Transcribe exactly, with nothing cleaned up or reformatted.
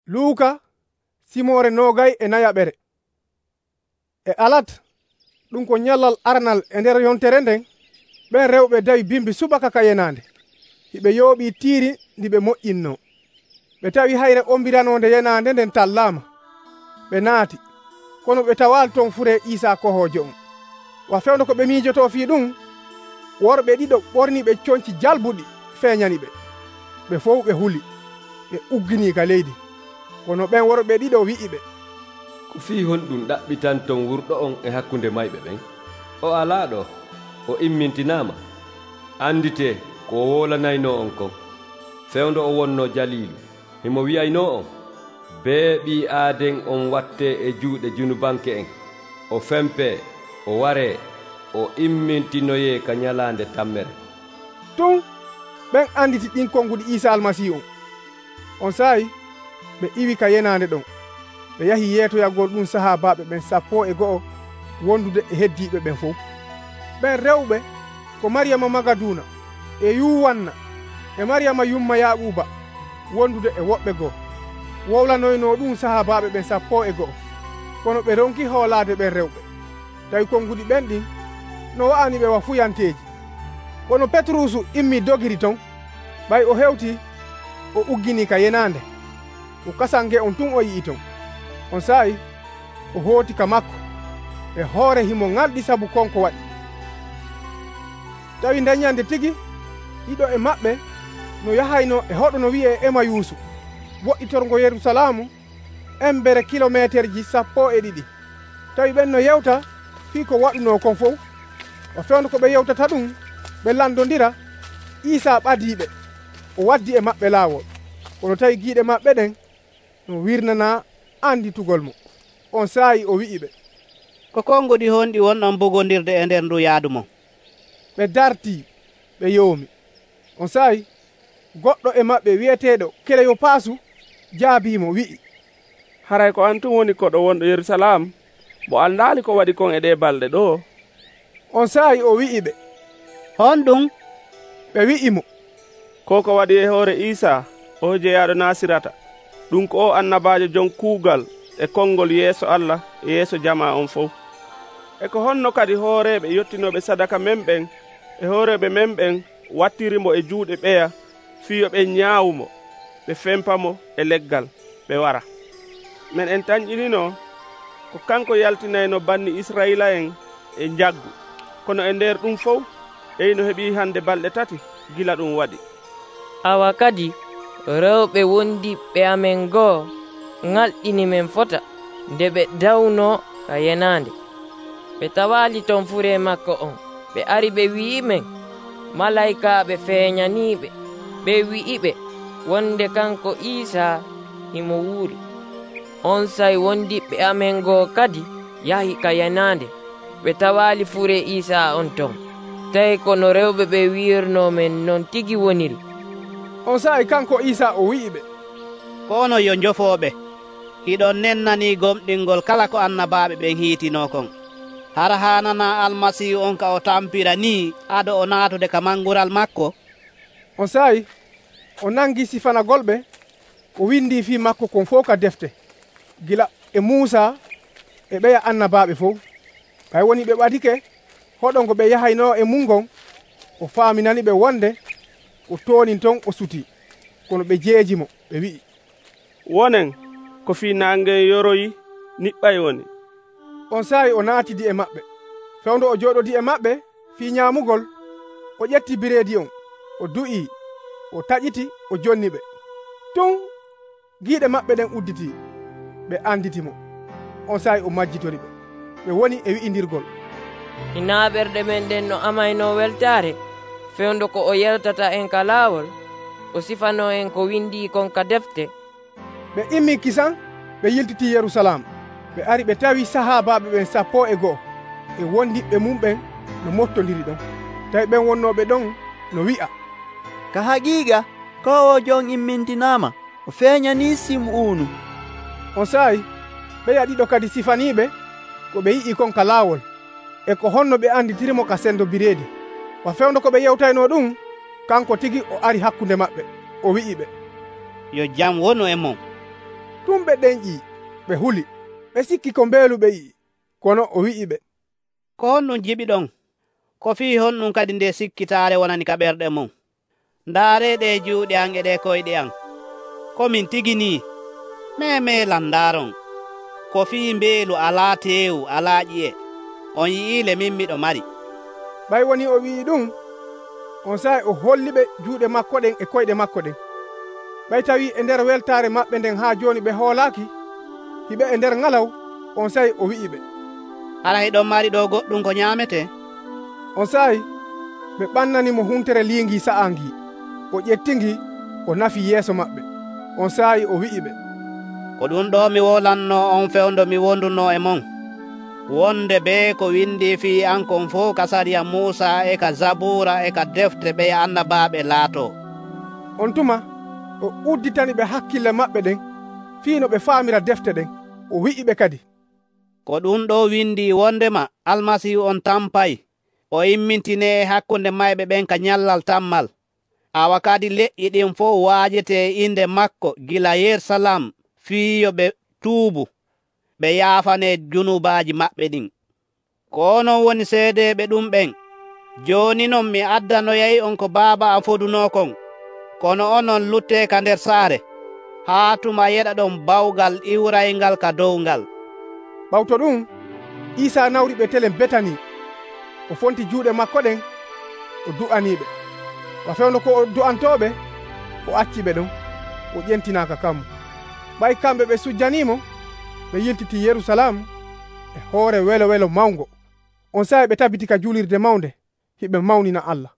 Luuka simoore noogay e nayaɓere. E alat ɗum ko nyallal arnal e nder yontere nden, ɓen rewɓe dawi bimbi subaka ka yenaande. Hiɓe yooɓii tiiri ndi ɓe moƴƴinnoo. Ɓe tawi hayre ombiranoonde yenaande nden tallaama. Ɓe naati, kono ɓe tawaali ton furee Iisaa kohoojo on. Wa fewndo ko ɓe miijotoo fii ɗum, worɓe ɗiɗo ɓorniiɓe coñci jalbuɗi feeñani ɓe. Ɓe fof ɓe huli, ɓe ugginii ka leydi. Kono ɓen worɓe ɗiɗo wi'i ɓe, ko fii honɗum ɗaɓɓitanton wurɗo on e hakkunde mayɓe ɓen? O alaa ɗo, o immintinaama. Anditee ko o wolanaynoo on kon. Fewndo o wonnoo jaliilu. Himo wi'aynoo on, bee ɓii aaden on wattee e juuɗe junubanke en. O fempee, o waree, o immintinoyee ka nyalaande tammere. Tun ɓen anditi ɗin konguɗi Iisaa Almasiihu on. On saayi ɓe iwi ka yenaande ɗon. Ɓe yahi yeetoyagol ɗum sahaabaaɓe ɓen sappo e go'o wondude e heddiiɓe ɓen fof. Ɓen rewɓe ko Mariyama Magaduuna e Yuwanna e Mariyama yumma Yaaquuba wondude e woɓɓe goo. Wowlanoynoo ɗum sahaabaaɓe ɓen sappo e go'o. Kono ɓe ronki hoolaade ɓen rewɓe, tawi konguɗi ɓen ɗin no wa'ani ɓe wafuyanteeji. Kono Petrusu immii dogiri ton, ɓay o hewti o ugginii ka yenaande. O kasange on tun o yi'i ton. On saayi o hooti ka makko e hoore himo ŋalɗi sabu konko waɗi. Tawi daññande tigi ɗiɗo e maɓɓe no yahayno e hoɗo no wi'ee Emayuusu, woɗɗitorgo Yerusalaamu embere kilomeeterji sappo e ɗiɗi. Tawi ɓen no yewta fii ko waɗunoo kon fof. O fewndo ko ɓe yewtata ɗum ɓe landondira, Iisaa ɓadiiɓe, o waddi e maɓɓe laawol. Kono tawi giiɗe maɓɓe ɗen no wirnanaa anditugol mo. On saayi o wi'i ɓe, ko konguɗi honɗi wonɗon bogondirde e nder ndu yaadu mon? Ɓe dartii, ɓe yoomi. On saayi goɗɗo e maɓɓe wi'eteeɗo Keleyopaasu jaabiimo wi'i, haray ko an tun woni koɗo wonɗo Yerusalam, mo andaali ko waɗi kon e ɗe balɗe ɗo? On saayi o wi'i ɓe, honɗum? Ɓe wi'i mo, ko ko waɗi e hoore Iisaa o jeyaaɗo Nasirata, ɗum ko o annabaajo jon kuugal e konngol yeeso Allah e yeeso jama on fof. E ko honno kadi hooreeɓe yottinooɓe sadaka men ɓen e hooreeɓe men ɓen wattirimo e juuɗe ɓeya fiyo ɓe ñaawumo, ɓe fempamo e leggal, ɓe wara. Men en tañƴinino ko kanko yaltinayno banni Israyila en e njaggu, kono e nder ɗum fof eyno heɓii hande balɗe tati gila ɗum waɗi. Awa kadi rewɓe wondiɓɓe amen goo ŋalɗini men fota nde ɓe dawno ka yenaande. Ɓe tawaali ton fure makko on. Ɓe ari ɓe wi'i men, malaykaaɓe feeñaniiɓe. Ɓe wi'iɓe wonde kanko Iisaa himo wuuri. On say wondiɓɓe amen goo kadi yahi ka yenaande. Ɓe tawaali fure Iisaa on ton. Tawi kono rewɓe ɓe wi'irnoo men non tigi woniri. On saayi kanko Iisaa o wi'i ɓe, kono yo njofooɓe, hiɗon nennanii gomɗingol kala ko annabaaɓe ɓen hiitinoo kon. Hara haanana Almasiihu on ka o tampira nii ado o naatude ka mangural makko? On saayi o nangii sifanagolɓe, o windii fii makko kon fof ka defte, gila e Muusa e ɓeya annabaaɓe fof. Ɓay woni ɓe ɓadike hoɗo ngo ɓe yahaynoo e mum ngon, o faaminani ɓe wonde o toonin ton o sutii. Kono ɓe jeeji mo, ɓe wi'i, wonen ko fii naange yoroyi niɓɓay woni. On saayi o naatidi e maɓɓe. Fewndo o jooɗodi e maɓɓe fii ñaamugol, o ƴetti bireedi on, o du'ii, o taƴiti, o jonni ɓe. Tun giiɗe maɓɓe ɗen udditii, ɓe anditi mo. On saayi o majjitori ɓe. Ɓe woni e wi'indirgol, Hinaa ɓerɗe men ɗen no amaynoo weltaare, fewndo ko o yewtata en ka laawol, o sifanoo en ko windii kon ka defte. Ɓe immii kisan, ɓe yiltitii Yerusalem. Ɓe ari ɓe tawi sahaabaaɓe ɓen sappo e go'o e wondiɓɓe mum ɓen no mottondiri ɗon. Tawi ɓen wonnooɓe ɗon no wi'a, ka haqiiqa ko o jon immintinaama, o feeñanii Sim'uunu. On saayi ɓeya ɗiɗo kadi sifaniiɓe ko ɓe yi'i kon ka laawol e ko honno ɓe anditirimo ka sendo bireedi. Wa fewndo ko ɓe yewtaynoo ɗum, kanko tigi o ari hakkunde maɓɓe, o wi'i ɓe, yo jam wonu e mon. Ɗum ɓe ɗenƴii, ɓe huli, ɓe sikki ko mbeelu ɓe yi'i. Kono o wi'iɓe, ko honɗum jiɓiɗon? Ko fii honɗum kadi nde sikkitaare wonani ka ɓerɗe mon? Ndaareeɗe juuɗe am e ɗe koyɗe am. Ko min tigi nii? Meemeelan ndaaron. Ko fii mbeelu alaa teewu, alaa ƴi'e. On yi'iile min miɗo mari. ɓay woni o wi'i ɗum, on saa'i o holliɓe juuɗe makko ɗen e koyɗe makko ɗen. ɓay tawi e nder weltaare maɓɓe nden haa jooni ɓe hoolaaki, hiɓe e nder ŋalaw, on saa'i o wi'iɓe, hara hiɗon mari ɗo goɗɗum ko nyaametee? on saa'i ɓe ɓannanimo huntere liingi sa'aangi, o ƴettingi, o nafi yeeso maɓɓe. On saa'i o wi'iɓe, ko ɗum ɗo mi wolanno on fewndo mi wonduno e mon. Wonde bee ko windi fii an kon fof ka sariya Muusa e ka Zabuura e ka defte ɓe annabaaɓe laatoo. On tuma o udditani ɓe hakkille maɓɓe ɗen fii no ɓe faamira defte ɗen. O wi'iɓe kadi, ko ɗum ɗo windi wondema Almasiihu on tampay, o immintinee hakkunde mayɓe ɓen ka nyallal tammal. Awa kadi leƴƴi ɗin fof waajetee inde makko gila Yerusalem fii yo ɓe tuubu, ɓe yaafanee junubaaji maɓɓe ɗin. Ko non woni seedeeɓe ɗum ɓen. Jooni non mi addanoyay on ko Baaba am fodunoo kon, kono onon luttee ka nder saare, haa tuma yeɗa ɗon bawgal iwrayngal ka dow ngal. Ɓawto ɗum, Iisaa nawri ɓe telen Betani. O fonti juuɗe makko ɗen, o du'aniiɓe. Wa fewndo ko o du'antooɓe, o acciɓe ɗon, o ƴentinaaka kammo. ɓay kamɓe ɓe sujjaniimo, ɓe yiltiti Yerusalem e hoore welo welo mawngo. On saa'i ɓe tabiti ka julirde mawnde, hiɓe mawnina Allah.